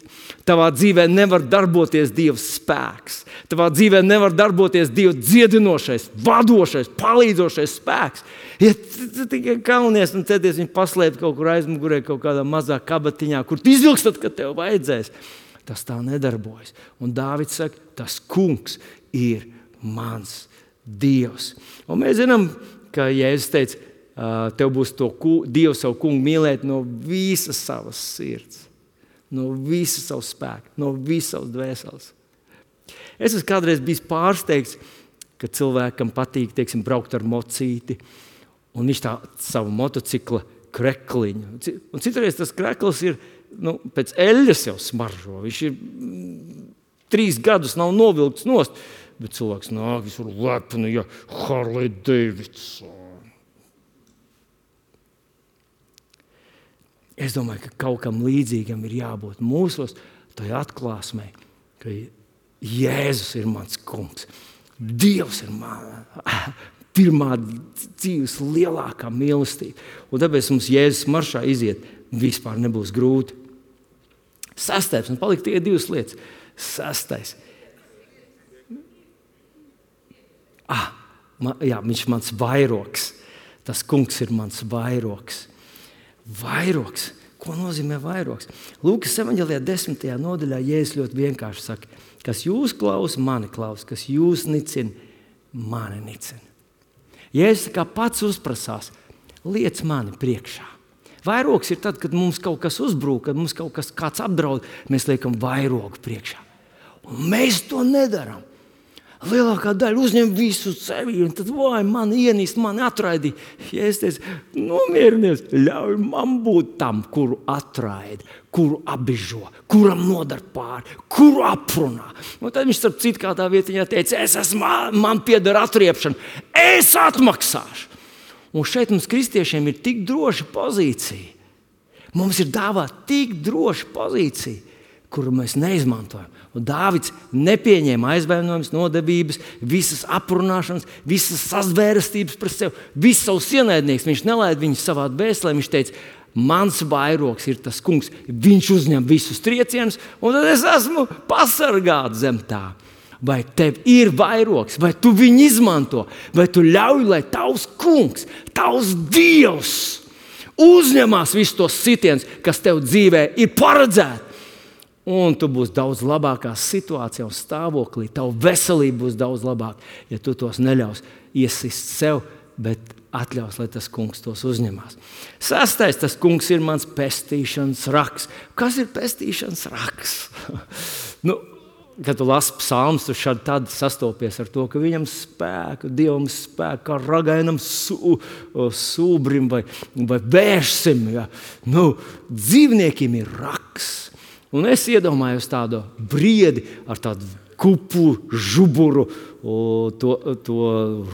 Tavā dzīvē nevar darboties Dieva spēks. Tavā dzīvē nevar darboties Dieva dziedinošais, vadošais, palīdzošais spēks. Ja tu tikai kaunies un centies viņu paslēpt kaut kur aizmugurē, kaut kādā mazā kabatiņā, kur tu izvilksi tad, kad tev vajadzēs, tas tā nedarbojas. Un Dāvids saka, tas kungs ir mans Dievs. Un mēs zinām, ka Jēzus teica, tev būs to Dievu savu kungu mīlēt no visas savas sirds, no visas savas spēka, no visas savas dvēseles. Es esmu kādreiz bijis pārsteigts, ka cilvēkam patīk, teiksim, braukt ar mocīti, un viņš tā savu motocikla krekliņu. Un citreiz tas krekls ir, nu, pēc eļļas jau smaržo. Viņš ir trīs gadus nav novilkts nost, bet cilvēks nāk, visur lepni, ja Harley Davidson. Es domāju, ka kaut kam līdzīgam ir jābūt mūsos tajā atklāsmē, ka Jēzus ir mans kungs. Dievs ir man, pirmā dzīves lielākā mīlestība. Un tāpēc mums Jēzus maršā iziet vispār nebūs grūti. Sastais, un palika tikai divas lietas. Sastais. Ah, man, jā, viņš ir mans vairoks. Tas kungs ir mans vairoks. Vairoks. Ko nozīmē vairoks? Lūkas evaņģelijā desmitajā nodaļā Jēzus ļoti vienkārši saka, kas jūs klausa, mani klausa, kas jūs nicina, mani nicina. Jēzus kā pats uzprasās, liec mani priekšā. Vairogs ir tad, kad mums kaut kas uzbrūk, kad mums kaut kas kāds apdraud, mēs liekam vairogu priekšā. Un mēs to nedaram. Lielākā daļa uzņem visu sevi, un tad, vai, mani ienīst, mani atraidīja. Ja es teicu, nomierinies, ļauj man būt tam, kuru atraida, kuru abižo, kuram nodar pāri, kuru aprunā. Un tad viņš starp citu kādā vietiņā teica, es esmu, man pieder atriepšana, es atmaksāšu. Un šeit mums kristiešiem ir tik droša pozīcija. Mums ir dāvāta tik droša pozīcija, kuru mēs neizmantojam. Un Dāvids nepieņēma aizvainojumus, nodevības, visas aprunāšanas, visas sazvērestības par sevi, visus savus ienaidniekus. Viņš nelaida viņus savā dvēselē. Viņš teica, mans vairogs ir tas kungs. Viņš uzņem visus triecienus, un tad es esmu pasargāts zem tā. Vai tev ir vairogs, vai tu viņu izmanto, vai tu ļauj, lai tavs kungs, tavs Dievs uzņemās visus tos sitienus, kas tev dzīvē ir paredzēti. Un tu būsi daudz labākā situācijā un stāvoklī. Tava veselība būs daudz labāka, ja tu tos neļaus iesist sev, bet atļaus, lai tas kungs tos uzņemās. Sastais, tas kungs ir mans pestīšanas raks. Kas ir pestīšanas raks? nu, kad tu lasi psalmus, tu šādi tad sastopies ar to, ka viņam spēku, Dievam spēku, kā ragainam sū, sūbrim vai, vai vērsim. Ja. Nu, dzīvniekiem ir raks. Un es iedomājos tādu briedi ar tādu kupu, žuburu, to, to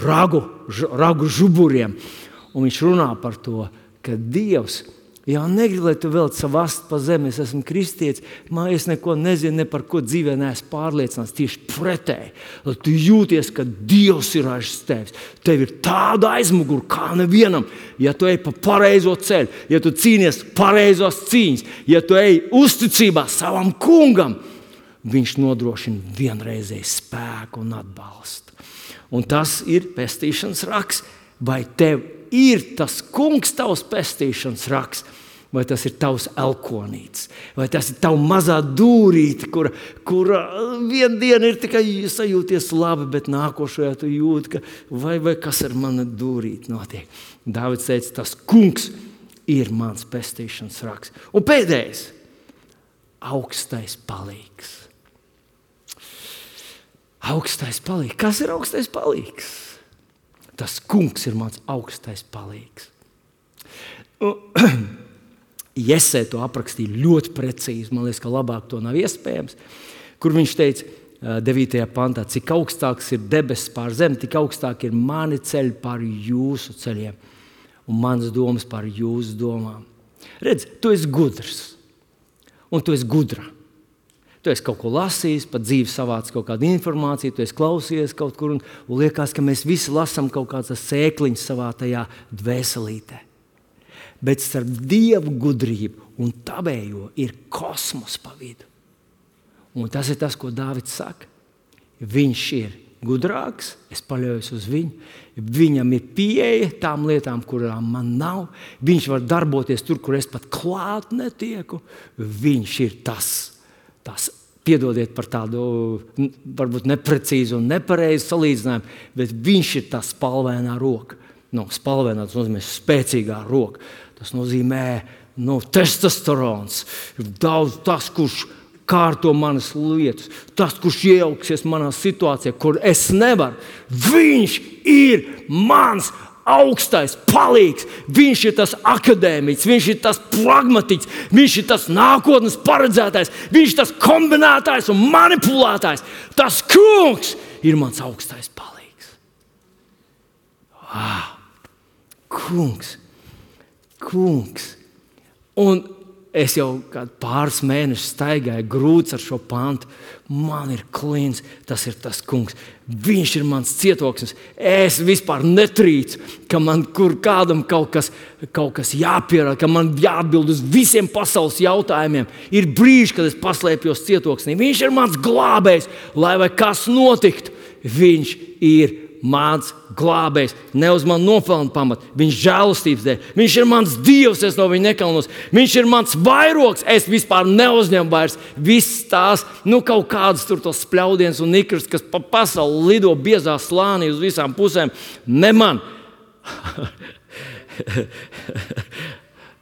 ragu, ragu žuburiem. Un viņš runā par to, ka Dievs jau negrib, lai tu velc savu astu pa zemi. Es esmu kristietis, man es neko nezinu, ne par ko dzīvē neesmu pārliecināts. Tieši pretēji, lai tu jūties, ka Dievs ir aiz tevis. Tev ir tāda aizmugura kā nevienam. Ja tu ej pa pareizo ceļu, ja tu cīnies pareizos cīņas, ja tu ej uzticībā savam kungam, viņš nodrošina vienreizēju spēku un atbalstu. Un tas ir pestīšanas raks. Vai tev ir tas kungs tavs pestīšanas raks, vai tas ir tavs elkonīts, vai tas ir tava mazā dūrīte, kura, kura vienu dienu ir tikai sajūties labi, bet nākošajā tu jūti, ka vai, vai kas ar mani dūrīti notiek. Dāvids teica, tas kungs ir mans pestīšanas raks. Un pēdējais, augstais palīgs. Augstais palīgs. Kas ir augstais palīgs? Tas kungs ir mans augstais palīgs. Jesē to aprakstīja ļoti precīzi. Man liekas, ka labāk to nav iespējams. Kur viņš teica devītajā pantā, cik augstāks ir debesis pār zemi, tik augstāk ir mani ceļi pār jūsu ceļiem un manas domas pār jūsu domām. Redz, tu esi gudrs un tu esi gudra. Tu esi kaut ko lasījis, pat dzīvi savāc kaut kādu informāciju, tu esi klausījies kaut kur un, un liekas, ka mēs visi lasām kaut kādas sēkliņas savā tajā dvēselītē. Bet starp Dievu gudrību un tavējo ir kosmos pa vidu. Un tas ir tas, ko Dāvids saka. Viņš ir gudrāks, es paļaujos uz viņu. Viņam ir pieeja tām lietām, kurām man nav. Viņš var darboties tur, kur es pat klāt netieku. Viņš ir tas. Tas, piedodiet par tādu varbūt neprecīzu un nepareizu salīdzinājumu, bet viņš ir tā spalvainā roka. No, spalvainā tas nozīmē spēcīgā roka. Tas nozīmē no, testosterons. Ir daudz tas, kurš kārto manas lietas. Tas, kurš iejauksies manā situācijā, kur es nevaru. Viņš ir mans augstais palīgs. Viņš ir tas akadēmiķis, viņš ir tas pragmatiķis, viņš ir tas nākotnes paredzētājs, viņš ir tas kombinētājs un manipulētājs. Tas kungs ir mans augstais palīgs. Wow. Kungs, kungs. Un es jau kādu pāris mēnešus staigāju grūts ar šo pantu. Man ir klīns, tas ir tas kungs. Viņš ir mans cietoksnis. Es vispār netrīcu, ka man kur kādam kaut kas, kaut kas jāpierāda, ka man jāatbild uz visiem pasaules jautājumiem. Ir brīži, kad es paslēpjos cietoksnī. Viņš ir mans glābējs, lai vai kas notiktu. Viņš ir mans glābējs, ne uz mani nopelnu pamatu. Viņš žēlastības dēļ. Viņš ir mans dievs, es no viņa nekalnos. Viņš ir mans vairogs, es vispār neuzņemu vairs viss tās, nu kaut kādas tur tos spļaudiens un nikrs, kas pa pasauli lido biezā slānī uz visām pusēm. Ne man.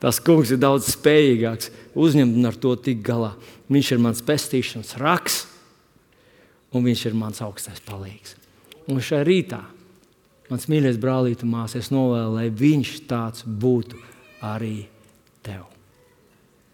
Tas kungs ir daudz spējīgāks uzņemt un ar to tik galā. Viņš ir mans pestīšanas raks un viņš ir mans augstais palīgs. Un šajā rītā, mans mīļais brālīte un māsa, es novēlu, lai viņš tāds būtu arī tev.